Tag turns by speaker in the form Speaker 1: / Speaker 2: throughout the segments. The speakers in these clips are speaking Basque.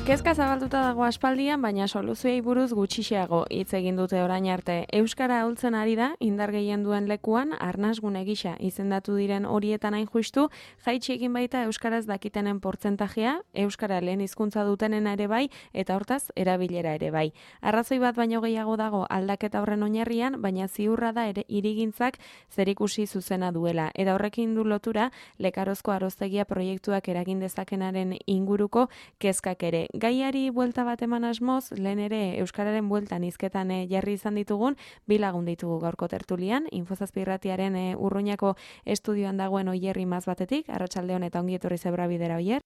Speaker 1: Kezka zabalduta dago aspaldian, baina soluzioei buruz gutxixeago hitz egin dute orain arte. Euskara ahultzen ari da, indar gehien duen lekuan, arnasgune gisa izendatu diren horietan hain justu, jaitsi egin baita euskaraz dakitenen portzentajea, euskara lehen hizkuntza dutenen ere bai, eta hortaz, erabilera ere bai. Arrazoi bat baino gehiago dago aldaketa horren oinarrian, baina ziurra da ere hirigintzak zerikusi zuzena duela. Eta horrekin du lotura, Lekarozko Aroztegia proiektuak eragin dezakenaren inguruko kezkak ere. Gaiari buelta bat eman asmoz, lehen ere euskararen bueltan hizketan jarri izan ditugun, bi lagun ditugu gaurko tertulian, Infozazpi Irratiaren Urruñako estudioan dagoen Oier Imaz batetik, arratsaldeon eta ongi etorri Zebrabidera, Oier.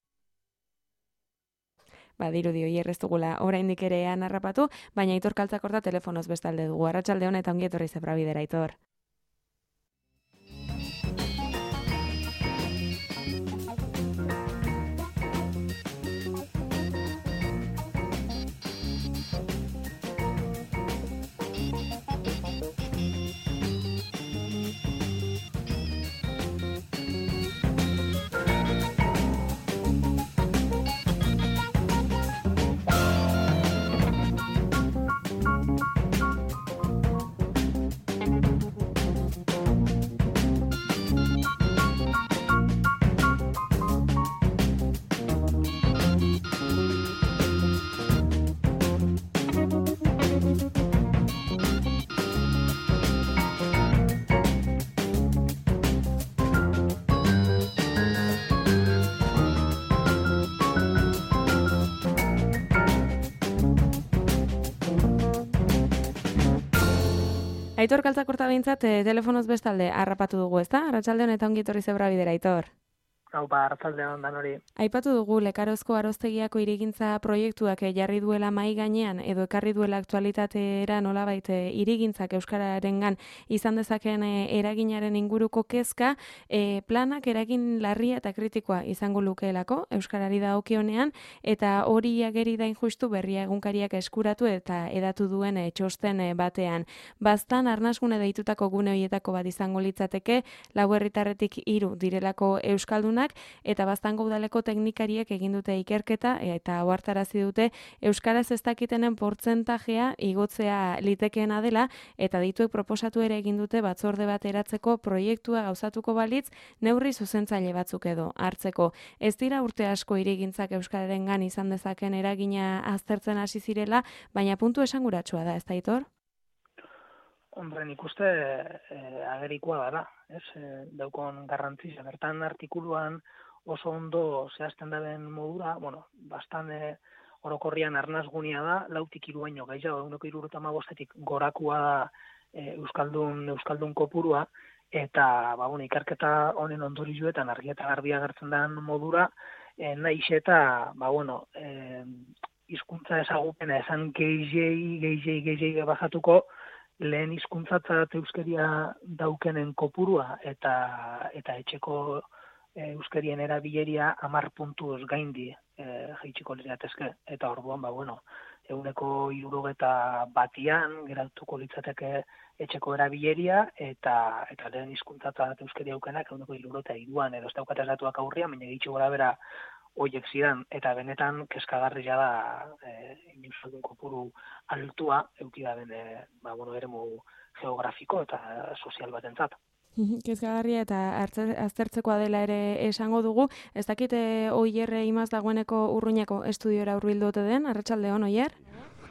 Speaker 1: Dirudi Oier ez dugula oraindik ere harrapatu, baina Aitor Kaltzakorta telefonoz bestalde dugu. Arratsaldeon eta ongi etorri Zebrabidera, Aitor. Aitor Kaltzakorta behintzat telefonoz bestalde harrapatu dugu, ezta? Arratsaldeon eta ongi etorri Zebrabidera, Aitor.
Speaker 2: Arratsaldeon danori.
Speaker 1: Aipatu dugu Lekarozko Aroztegiako hirigintza proiektuak jarri duela mahai gainean edo ekarri duela aktualitatera nolabait hirigintzak euskararengan izan dezakeen eraginaren inguruko kezka, planak eragin larria eta kritikoa izango lukeelako euskarari dagokionean eta hori ageri da injustu Berria egunkariak eskuratu eta edatu duen txosten batean. Baztan arnasgune deitutako gune horietako bat izango litzateke, 4 herritarretik 3 direlako euskaldunak, eta Baztango udaleko teknikariek egin dute ikerketa eta ohartarazi dute euskaraz ez dakitenen portzentajea igotzea litekeena dela eta dituek proposatu ere egin dute batzorde bat eratzeko proiektua gauzatuko balitz neurri zuzentzaile batzuk edo hartzeko. Ez dira urte asko hirigintzak euskararengan izan dezaken eragina aztertzen hasi zirela, baina puntu esanguratsua da, ez da, Aitor?
Speaker 2: Hombre, nik uste agerikoa dara, daukon garrantzia. Bertan artikuluan oso ondo zehazten daben modura, bastan orokorrian arnasgunia da, 4tik 3 baino gehiago, 175etik gorakua da euskaldun kopurua, eta ikerketa honen ondorioetan argi eta garbi agertzen den modura, nahiz eta, hizkuntza ezagupena esan gehiago bajatuko, lehen hizkuntzatzat euskeria daukenen kopurua eta etxeko euskerien erabileria 10 puntuz gaindi jaitsiko lirateke. Eta orduan, 160 geratuko litzateke etxeko erabileria eta lehen hizkuntzatzat euskeria daukenak 163 edo ez daukatez datuak aurrian, baina gitxi gora bera horiek zidan, eta benetan kezkagarria da euskaldun kopuru altua eduki da eremu geografiko eta sozial batentzat.
Speaker 1: Kezkagarria eta aztertzekoa dela ere esango dugu. Ez dakite Oier Imaz dagoeneko Urruñako estudiora hurbildu ote den, arratsaldeon Oier?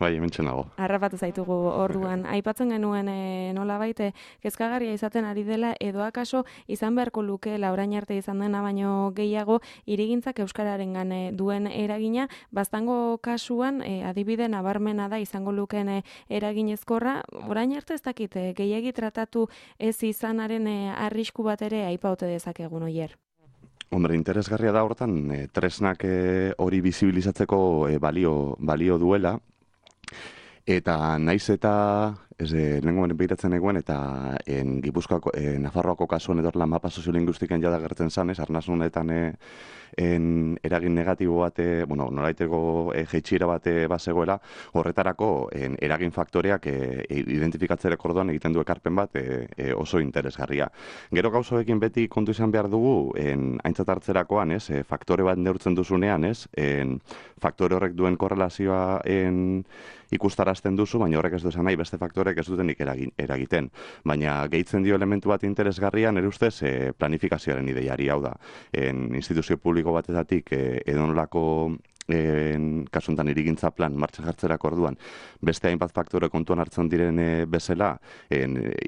Speaker 3: Bai, hementxe nago.
Speaker 1: Harrapatu zaitugu orduan. Aipatzen genuen nolabait kezkagarria izaten ari dela edo akaso izan beharko lukeela orain arte izan dena baino gehiago hirigintzak euskararengan duen eragina. Baztango kasuan adibide nabarmena da izango lukeen eraginezkorra. Orain arte ez dakit gehiegi tratatu ez izanaren arrisku bat ere aipaute dezakegun Oier.
Speaker 3: Hombre, interesgarria da hortan, tresnak hori bizibilizatzeko balio duela, eta naiz eta lehengoen behiratzen egoen, eta Gipuzkoako, Nafarroako kasuan edorla mapa soziolinguistiken jada gertzen zanez, arnasunetan eragin negatibo bat, nolaiteko jeitxiera bat bazegoela, horretarako eragin faktoreak identifikatzerek orduan egiten du ekarpen bat oso interesgarria. Gero gauzoekin beti kontu izan behar dugu, aintzat hartzerakoan, faktore bat neurtzen duzunean, faktore horrek duen korrelazioa ikustarazten duzu, baina horrek ez du esan nahi beste faktorek ez dutenik eragiten. Baina gehitzen dio elementu bat interesgarria, nire ustez planifikazioaren ideiari, hau da. Instituzio publiko batetatik edonolako kasuntan irigintza plan martxan jartzerako orduan, beste hainbat faktore kontuan hartzen diren bezala,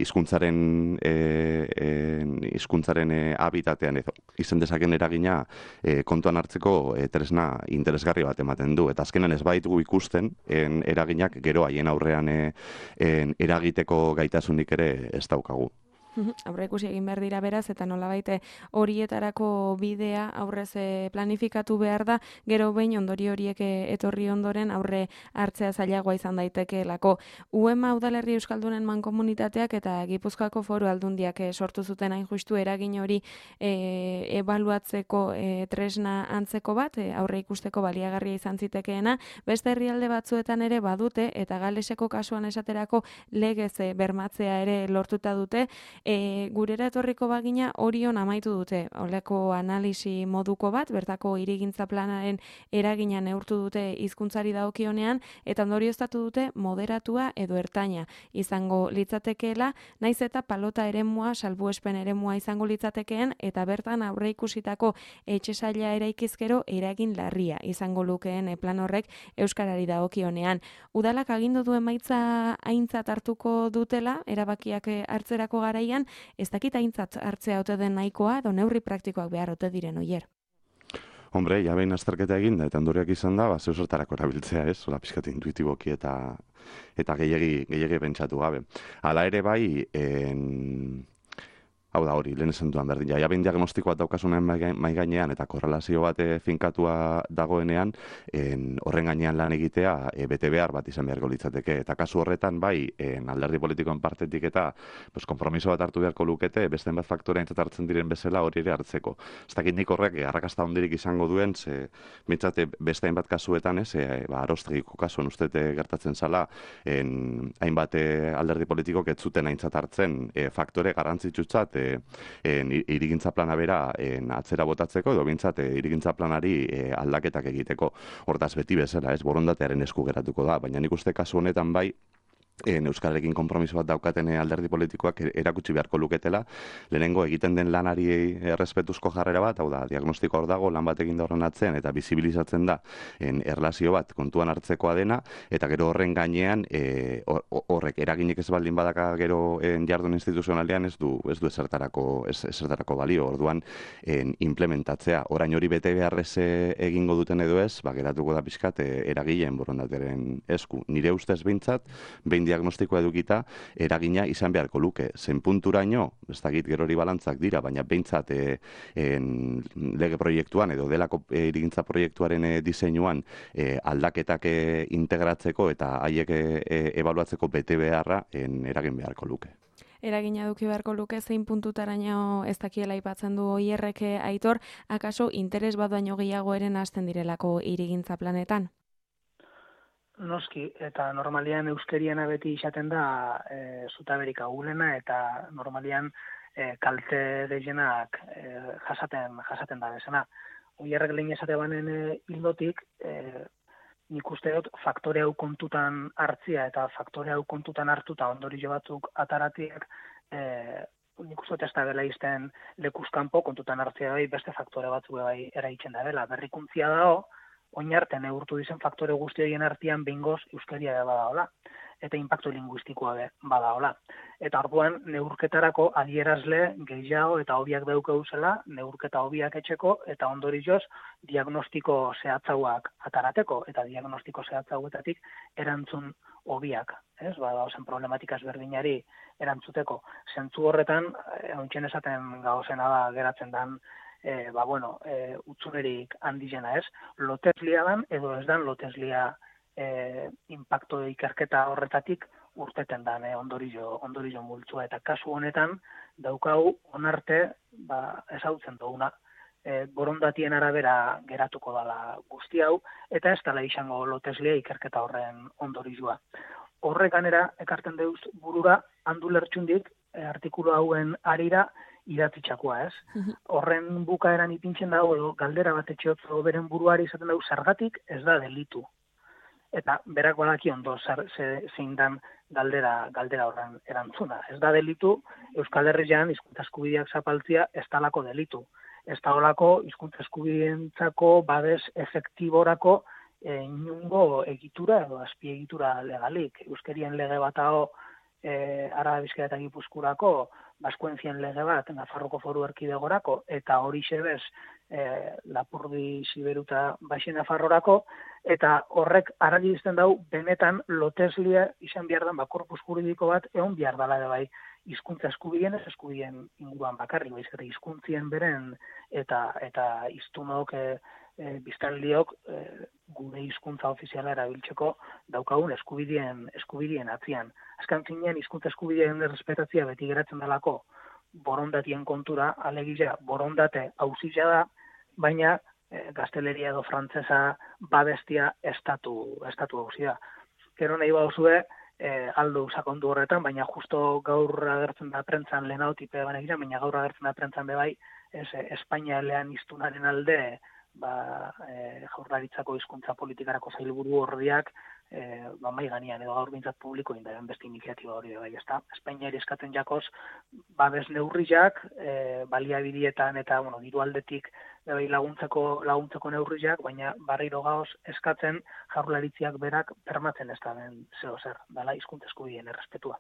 Speaker 3: hizkuntzaren habitatean izan dezaken eragina kontuan hartzeko tresna interesgarri bat ematen du. Eta azkenan ez baitugu ikusten eraginak gero haien aurrean eragiteko gaitasunik ere ez daukagu.
Speaker 1: Aurre ikusi egin behar dira beraz, eta nolabait horietarako bidea aurrez planifikatu behar da, gero behin ondori horiek etorri ondoren aurre hartzea zailagoa izan daitekeelako. UEMA Udalerri Euskaldunen Mankomunitateak eta Gipuzkoako Foru Aldundiak sortu zuten hain justu eragin hori ebaluatzeko tresna antzeko bat, aurre ikusteko baliagarria izan zitekeena, beste herrialde batzuetan ere badute, eta Galeseko kasuan esaterako legez bermatzea ere lortuta dute. Gurera etorriko bagina Orion amaitu dute, holako analisi moduko bat, bertako hirigintza planaren eragina neurtu dute hizkuntzari dagokionean, eta ondorioztatu dute moderatua edo ertaina izango litzatekeela, naiz eta palota eremua, salbuespen eremua izango litzatekeen, eta bertan aurre ikusitako etxesaila eraikizkero eragin larria izango lukeen plan horrek euskarari dagokionean. Udalak agindu du emaitza aintzat hartuko dutela, erabakiak hartzerako garaian, ez dakit aintzat hartzea ote den nahikoa, edo neurri praktikoak behar ote diren oier.
Speaker 3: Hombre, ja behin azterketa egin da, eta ondoriak izan da, zeu zertarako erabiltzea, ez? Ola pixkat intuitiboki eta gehiagi pentsatu gabe. Hala ere bai, hau da hori, lehen esan duan berdin, ja behin diagnostikoa daukasunen mai gainean eta korrelazio bat finkatua dagoenean, horren gainean lan egitea bete behar bat izan beharko litzateke. Eta kasu horretan bai, alderdi politikoen partetik eta konpromiso bat hartu beharko lukete, beste bat faktorea aintzat hartzen diren bezala hori ere hartzeko. Ez dakit nik horrek arrakasta hondirik izango duen, bintzate beste hainbat kasuetan, arostegiko kasuan ustete gertatzen zala, hainbat alderdi politikok ez zuten aintzat hartzen faktore garrantzitsutzat irigintza plana bera atzera botatzeko, edo bintzat irigintza planari aldaketak egiteko. Hortaz beti bezala, borondatearen esku geratuko da, baina nik uste kasu honetan bai, Euskararekin konpromiso bat daukaten alderdi politikoak erakutsi beharko luketela, lehenengo egiten den lanari errespetuzko jarrera bat, hau da, diagnostiko hor dago, lan bat egin da horren atzean, eta bizibilizatzen da erlazio bat kontuan hartzekoa dena, eta gero horren gainean, horrek eraginik ez baldin badaka gero jardun instituzionalean ez du ezertarako balio, orduan implementatzea. Orain hori bete beharrez egingo duten edo ez, geratuko da pixkat eragileen borondateren esku. Nire ustez behintzat, behin diagnostikoa edukita, eragina izan beharko luke. Zen punturaino, ez dakit gerori balantzak dira, baina behintzat lege proiektuan edo delako irigintza proiektuaren diseinuan aldaketak integratzeko eta haiek ebaluatzeko bete beharra eragin beharko luke.
Speaker 1: Eragina eduki beharko luke, zein puntutaraino ez dakiela aipatzen du Oierrek Aitor, akaso interes bat baino gehiago eren hasten direlako hirigintza planetan?
Speaker 2: Noski, eta normalian euskeriana beti izaten da zutaberik agulena, eta normalian kalte gehienak jasaten da bezana. Oierrek lehen esate banen hildotik, nik uste dut faktore hau kontutan hartzia eta faktore hau kontutan hartuta ondorio batzuk ataratiak, nik uste dut ez da bela izten lekuzkanpo kontutan hartzia bai beste faktore batzuk bai eraitzen da bela. Berrikuntzia dago, oinarte neurtu dizen faktore guzti horien artean behingoz euskeria badaola, eta inpaktu linguistikoa badaola. Eta orduan neurketarako adierazle gehiago eta hobiak daukaguzela, neurketa hobiak etxeko, eta ondorioz diagnostiko zehatzauak atarateko, eta diagnostiko zehatzauetatik erantzun hobiak, ez? Zen problematika ezberdinari erantzuteko. Zentzu horretan, hauntzen esaten gauzena da geratzen den utzunerik handizena ez, loteslia dan edo ez dan loteslia impacto ikerketa horretatik urteten dan ondorio multzua, eta kasu honetan daukau onarte ezautzen duguna. Borondatien arabera geratuko dala guzti hau, eta ez dela izango loteslia ikerketa horren ondorioa. Horrek ganera, ekarten deuz burura, handu lertxundik, artikulu hauen arira idatzitxakoa, ez? Horren bukaeran ipintzen dago, edo galdera bat etxeotzo beren buruari izaten dago, zergatik ez da delitu. Eta berak badaki ondo zein dan galdera horren erantzuna. Ez da delitu, Euskal Herrian hizkuntza eskubideak zapaltzia ez dalako delitu. Ez da olako hizkuntza eskubideentzako babes efektiborako inungo egitura edo azpiegitura legalik. Euskerien lege bat hau Araba, Bizkaia eta Gipuzkoarako, Baskuentzien lege bat Nafarroko Foru Erkidegorako, eta hori xebez Lapurdi, Siberuta, Baixi Nafarrorako, eta horrek argi izten dau benetan loteslia izan behar den korpus juridiko bat egon behar dela ere bai hizkuntza eskubideen ez eskubideen inguruan bakarrik, baizik eta hizkuntzien beren eta hiztunok biztanliok gure hizkuntza ofiziala erabiltzeko daukagun eskubideen atzian. Azken finean hizkuntza eskubideen errespetatzea beti geratzen delako borondatien kontura, alegia borondate auzia da, baina gazteleria edo frantsesa babestia estatu auzia. Gero nahi bauzue aldo sakondu horretan, baina justo gaur agertzen da prentzan lehenautipe baina baina gaur agertzen da prentzan bebai, Espainia elean hiztunaren alde Jaurlaritzako hizkuntza politikarako sailburu ordiak mai gainean edo gaur bintzat publiko indaren beste iniziatiba hori bai, ezta? Espainiari eskatzen jakoz babes neurriak, baliabidietan eta diru aldetik laguntzeko neurriak, baina barriro gaoz eskatzen Jaurlaritziak berak bermatzen ez da den zeo zer, dala hizkuntza eskubideen errespetua.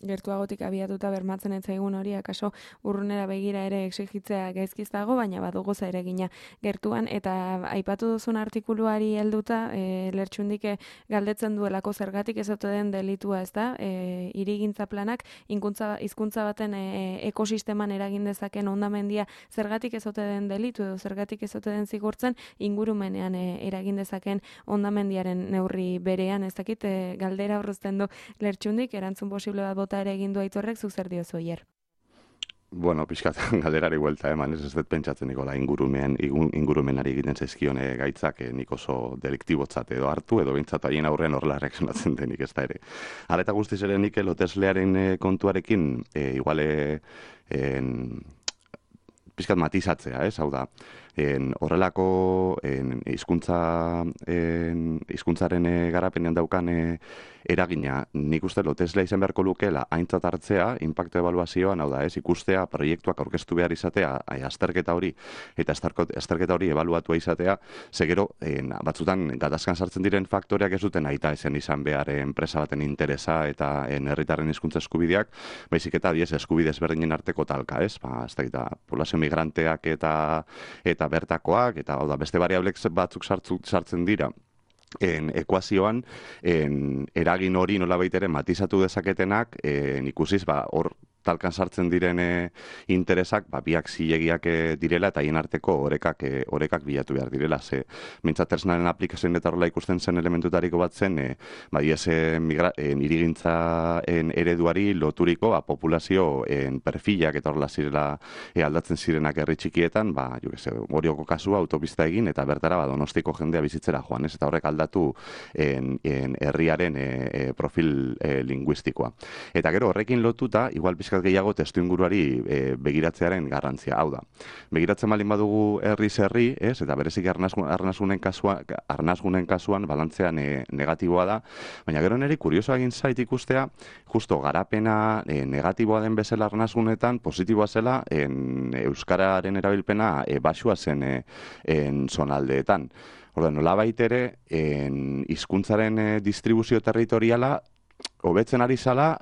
Speaker 1: Gertuagotik abiatuta bermatzen ez zaigun hori, akaso urrunera begira ere exigitzea gaizkiz dago, baina badugu zeregina gertuan, eta aipatu duzun artikuluari helduta, lertxundik galdetzen duelako zergatik ez ote den delitua, ez da? Hirigintza planak hizkuntza baten ekosisteman eragin dezaken hondamendia zergatik ez ote den delitu edo zergatik ez ote den zigortzen ingurumenean eragin dezaken hondamendiaren neurri berean, ez dakit galdera horrezten du lertxundik, erantzun posible bat bota ere egin du Aitorrek, zuk zer diozu Oier?
Speaker 3: Bueno, pixkat galderari buelta eman, ez dut pentsatzen nikola ingurumenari egiten zaizkione gaitzak nik oso deliktibotzat edo hartu, edo bintzat haien aurrean horrela reakzionatzen denik ez da ere. Hala eta guztiz ere nik loteslearen kontuarekin iguale pixkat matizatzea, hau da, horrelako hizkuntzaren garapenean daukan eragina, nik uste loteslea izan beharko lukeela aintzat hartzea, inpaktu ebaluazioan, hau da, ikustea, proiektuak aurkeztu behar izatea, azterketa hori, eta azterketa hori ebaluatua izatea, segero, batzutan gatazkan sartzen diren faktoreak ez duten aita ezen izan behar enpresa baten interesa eta herritarren hizkuntza eskubideak, baizik eta eskubide ezberdinen arteko talka, ez? Ez da, poblazio migranteak eta bertakoak, eta beste variablek batzuk sartzen dira ekuazioan, eragin hori nolabait ere matizatu dezaketenak, ikusiz, hor talkan sartzen diren interesak, biak zilegiak direla eta hien arteko orekak bilatu behar direla. Mintzat tresnaren aplikazioen eta horrela ikusten zen elementutariko bat zen, hirigintzaren ereduari loturiko populazio perfilak eta horrela zirela aldatzen zirenak herri txikietan, Orioko kasua autopista egin eta bertara Donostiko jendea bizitzera joan, eta horrek aldatu herriaren profil linguistikoa. Eta gero horrekin lotuta, igual pizkat gehiago testu inguruari begiratzearen garrantzia. Hau da, begiratzen balin badugu herri, eta berezik arnasgunen kasuan balantzean negatiboa da, baina gero niri kurioso egin zait ikustea, justo garapena negatiboa den bezala arnasgunetan, positiboa zela euskararen erabilpena basua zen zonaldeetan. Nolabait ere, hizkuntzaren distribuzio territoriala hobetzen ari zala,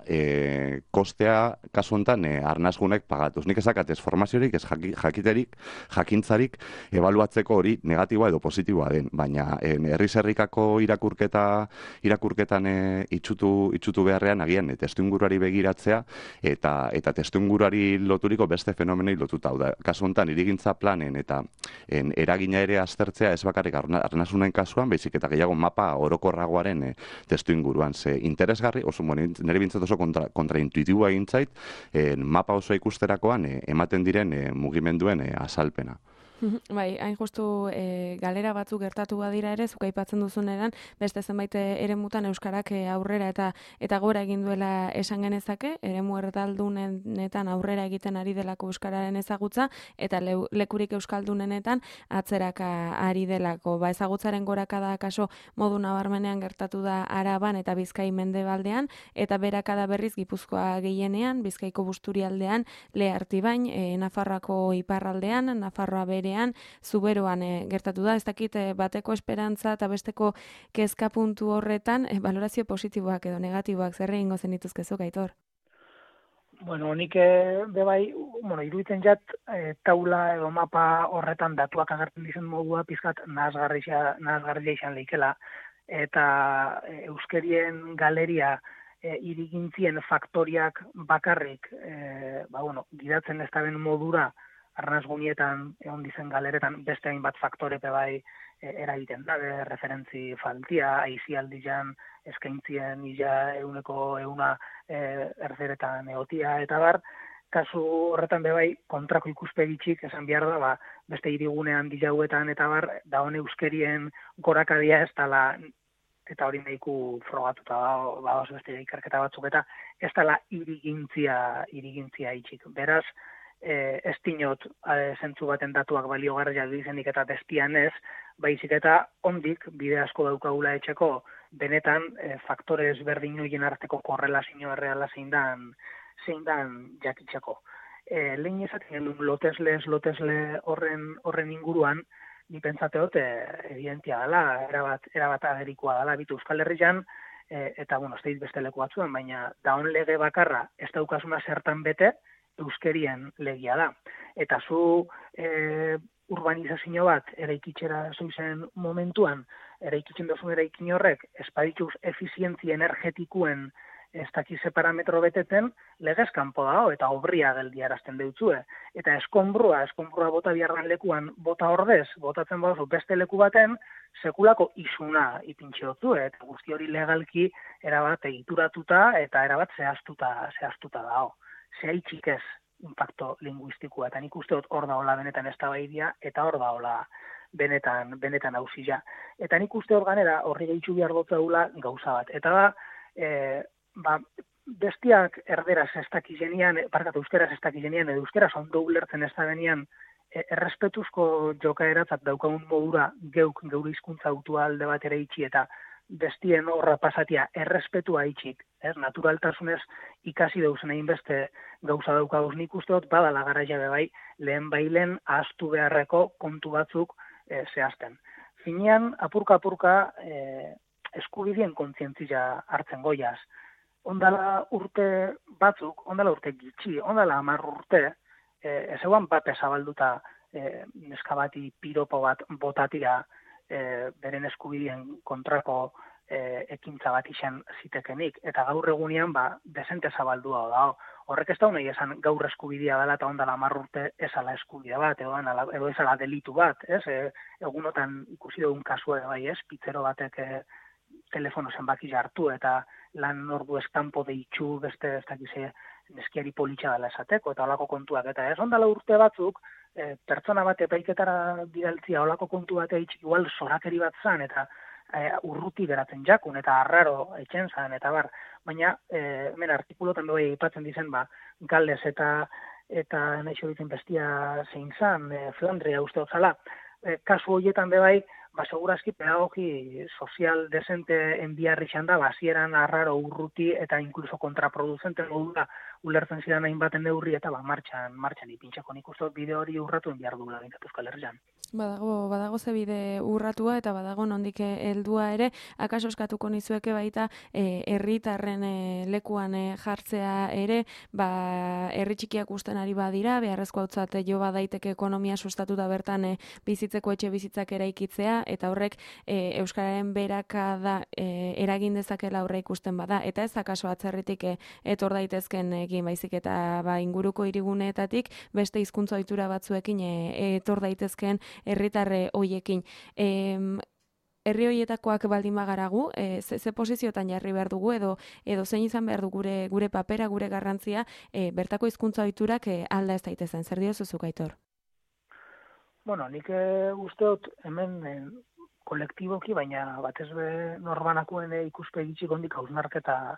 Speaker 3: kostea kasu honetan arnasgunek pagatuz. Nik ezakatez formaziorik, ez jakiterik, jakintzarik, ebaluatzeko hori negatiboa edo positiboa den, baina herri-zerrikako irakurketan itxutu beharrean agian testuinguruari begiratzea eta testuinguruari loturiko beste fenomenei lotuta. Hau da, kasu honetan hirigintza planen eta eragina ere aztertzea ez bakarrik arnasunen kasuan, baizik eta gehiago mapa orokorragoaren testuinguruan. Ze interesgarri, nire bintzat oso kontraintuitiboa egin zait, mapa oso ikusterakoan ematen diren mugimenduen azalpena.
Speaker 1: Bai, hain justu galera batzuk gertatu badira ere, zuk aipatzen duzuneran, beste zenbait eremutan euskarak aurrera eta gora egin duela esan genezake, eremu erdaldunenetan aurrera egiten ari delako euskararen ezagutza, eta lekurik euskaldunenetan atzeraka ari delako. Ezagutzaren gorakada kaso modu nabarmenean gertatu da Araban eta Bizkai mendebaldean, eta berakada berriz Gipuzkoa gehienean, Bizkaiko Busturialdean, Lehartibain, Nafarroako iparraldean, Nafarroa bere Zuberoan gertatu da, ez dakit bateko esperantza eta besteko kezka puntu horretan, valorazio positiboak edo negatiboak zer egingo zenituzkezuk, Aitor?
Speaker 2: Bueno, nik bebai, iruditzen jat, taula edo mapa horretan datuak agertzen dizen modua pizkat nahasgarria izan leikela, eta euskerien galeria irigintzien faktoriak bakarrik, gidatzen ez da ben modura, arnasgunietan egon dizen galeretan beste hainbat faktore bai eragiten da, referentzi faltia, aizialdian eskaintzien ila euneko erderetan egotia, eta bar, kasu horretan bai kontrako ikuspegitxik esan behar da, beste hirigunean dilauetan eta bar, da hone euskerien gorakadia ez dala, eta hori nahiku frogatuta da, beste ikerketa batzuk, eta ez dala irigintzia itxik. Beraz, ez dinot zentzu baten datuak baliogarriak dizenik eta destian ez, baizik eta ondik bide asko daukagula etxeko benetan faktore ezberdin horien arteko korrelazio erreala zein dan jakitzeko. Lehen ezaten lotesle horren inguruan, ni pentsateot evidentia dela, erabat agerikoa dela, bitu Euskal Herrian, eta ez da beste leku batzuen, baina daun lege bakarra ez daukasuna zertan bete, euskerien legia da. Eta zu urbanizazio bat eraikitxera zuzen momentuan, eraikitzen dozun eraikin horrek, espadituz efizientzia energetikuen ez dakize parametro beteten, legez kanpo dago eta obria geldiarazten deutzue. Eta eskonbrua bota biharran lekuan bota ordez, botatzen baduzu beste leku baten, sekulako isuna ipintxe dutzu, eta guzti hori legalki erabat egituratuta eta erabat zehaztuta dago. Zehaitxik ez impacto linguistikoa, eta nik uste dut hor daola benetan eztabaidia eta hor daola benetan hausila. Eta nik uste hor ganera horri gehitzu behar dutzaula gauza bat. Eta bestiak erderaz ez dakizenian, euskeraz ez dakizenian, edo euskeraz ondo ulertzen ez da benian, errespetuzko jokaeratzat daukagun modura geure hizkuntza autua alde bat ere itxi eta bestien horra pasatia errespetua itxik, naturaltasunez ikasi dauzen egin beste gauza daukaguz nik uste dut, badala garaia bai, lehen ahaztu beharreko kontu batzuk zehazten. Finean, apurka eskubidien kontzientzia hartzen goiaz. Ondala urte batzuk, ondala urte gitxi, ondala 10 urte, ez eguan bat ezabalduta neskabati piropo bat botatia beren eskubidien kontrako ekintza bat izan zitekenik. Eta gaur egunean desente zabaldua da. Horrek ez da nahi esan gaur eskubidea dela eta ondala 10 urte ezala eskubidea bat, edo ezala delitu bat. Egunotan ikusi dugun kasua bai ez, pitzero batek telefono zenbaki hartu eta lan ordu eskampo deitxu beste ez dakize neskiari politxa dela esateko eta olako kontuak. Eta ez ondala urte batzuk, pertsona bat epaiketara bidaltzia olako kontu bat eitxik igual zorakeri bat zan eta urruti geratzen jakun eta arraro etxen zan eta bar. Baina, hemen artikulotan bai aipatzen dizen, Gales eta naixo ditzen bestia zein zan, Flandria uste otzala. Kasu horietan bai, segurazki pedagogi sozial desente enbiarri xan da, hasieran arraro urruti eta inkluso kontraproducente modura ulertzen zidan hainbaten neurri eta martxan ipintxako nik uste bide hori urratu enbiar duela bintzatu Euskal Herrian.
Speaker 1: Badago zebide urratua eta badago nondik heldua ere, akaso eskatuko nizueke baita herritarren lekuan jartzea ere, herri txikiak usten ari badira, beharrezko hautzat jo badaiteke ekonomia sustatuta bertan bizitzeko etxe bizitzak eraikitzea, eta horrek euskararen berakada eragin dezakela aurre ikusten bada, eta ez akaso atzerritik etor daitezken egin baizik eta inguruko hiriguneetatik beste hizkuntza ohitura batzuekin etor daitezken herritarre hoiekin. Herri hoietakoak baldin bagaragu, ze posiziotan jarri behar dugu edo zein izan behar du gure papera, gure garrantzia, bertako hizkuntza ohiturak alda ez daitezen. Zer diozu zuk, Aitor?
Speaker 2: Bueno, nik usteot hemen kolektiboki, baina batez be norbanakoen ikuspegi txikondik hausnarketa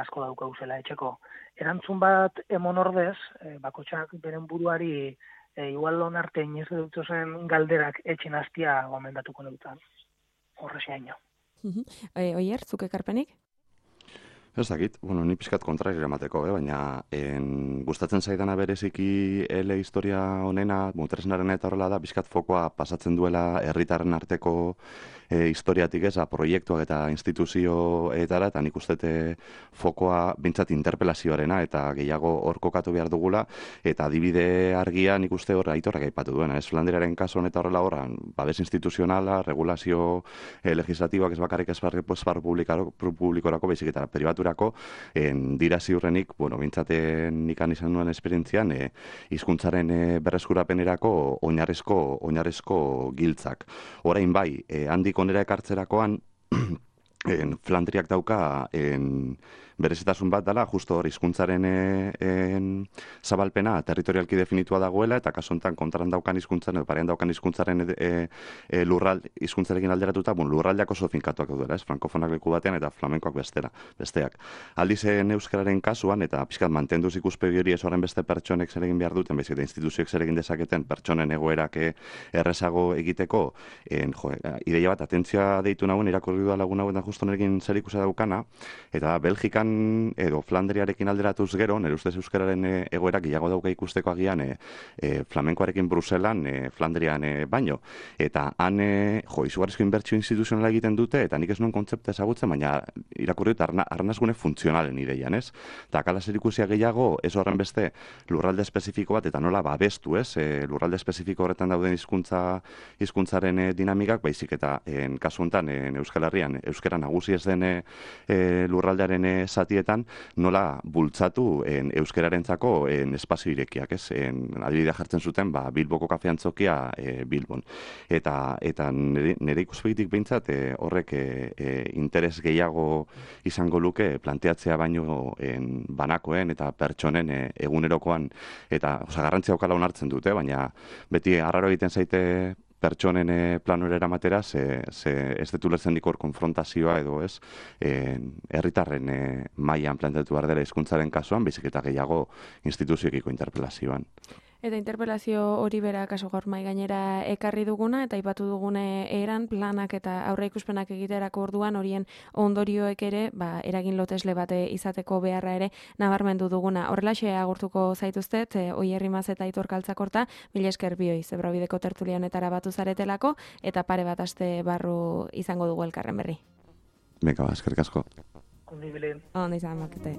Speaker 2: asko daukauzela etxeko. Erantzun bat emon ordez, bakotxak beren buruari igual onarte inoiz dutzozen galderak etxin hastia gomendatuko neutan. Horrexeaino.
Speaker 1: Oier, zuk ekarpenik?
Speaker 3: Ez dakit, ni pixkat kontrari eramateko, baina gustatzen zaidana bereziki historia honena, tresnaren eta horrela da, pixkat fokoa pasatzen duela herritarren arteko historiatik proiektuak eta instituzioetara, eta nik uste fokoa bintzat interpelazioarena, eta gehiago hor kokatu behar dugula, eta adibide argia nik uste hor Aitorrak aipatu duena. Flandriaren kasu honetan horrela horran, babes instituzionala, regulazio legislatiboak ez bakarrik esparru publikorako, baizik eta pribaturako, dira ziurrenik, bintzaten ikan izan duen esperientzian, hizkuntzaren berreskurapenerako oinarrezko giltzak. Orain bai, handik onera ekartzerakoan, Flandriak dauka berezitasun bat dela, justo hor hizkuntzaren zabalpena territorialki definitua dagoela, eta kasu honetan kontran daukan hizkuntzaren edo parean daukan hizkuntzaren hizkuntzarekin alderatuta, lurraldeak oso finkatuak daudela, frankofonak leku batean eta flamenkoak besteak. Aldiz euskararen kasuan, eta pixkat mantenduz ikuspegi hori ez horren beste pertsonek zer egin behar duten, baizik eta instituzioek zer egin dezaketen pertsonen egoerak errezago egiteko, ideia bat, atentzioa deitu nagoen, irakurri da lagun hauetan justo nerekin zer ikusi daukana, eta Belgikan edo Flandriarekin alderatuz gero, nire ustez euskararen egoerak gehiago dauka ikusteko agian flamenkoarekin Bruselan, Flandrian baino. Eta han izugarrizko inbertsio instituzionala egiten dute, eta nik ez nuen kontzepta ezagutzen, baina irakurri dut arnazgune funtzionalen ideian, ez? Eta akala zer ikusia gehiago, ez horren beste lurralde espezifiko bat, eta nola babestu, ez? Lurralde espezifiko horretan dauden hizkuntzaren dinamikak, baizik eta kasu honetan Euskal Herrian, euskara nagusi ez den lurraldearen zatietan nola bultzatu euskararentzako espazio irekiak, ez? Adibidea jartzen zuten, Bilboko kafeantzokia Bilbon. Eta nire ikuspegitik behintzat horrek interes gehiago izango luke planteatzea baino banakoen eta pertsonen egunerokoan, eta garrantzia okala onartzen dute, baina beti arraro egiten zaite pertsonen planura eramatera, ez dut ulertzen dikor konfrontazioa edo ez, herritarren mailan planteatu behar dela hizkuntzaren kasuan, baizik eta gehiago instituzioekiko interpelazioan.
Speaker 1: Eta interpelazio hori bera kaso gaur mahai gainera ekarri duguna, eta aipatu dugune eran planak eta aurreikuspenak egiterako orduan horien ondorioek ere, eragin lotesle bate izateko beharra ere nabarmendu duguna. Horrelaxe agurtuko zaituztet, Oier Rimaz eta Aitor Kaltzakorta, mila esker bioi, Zebrabideko tertulia honetara batu zaretelako, eta pare bat aste barru izango dugu elkarren berri.
Speaker 3: Beka, eskerrik asko.
Speaker 2: Ondi bilin.
Speaker 1: Ondi izan makete.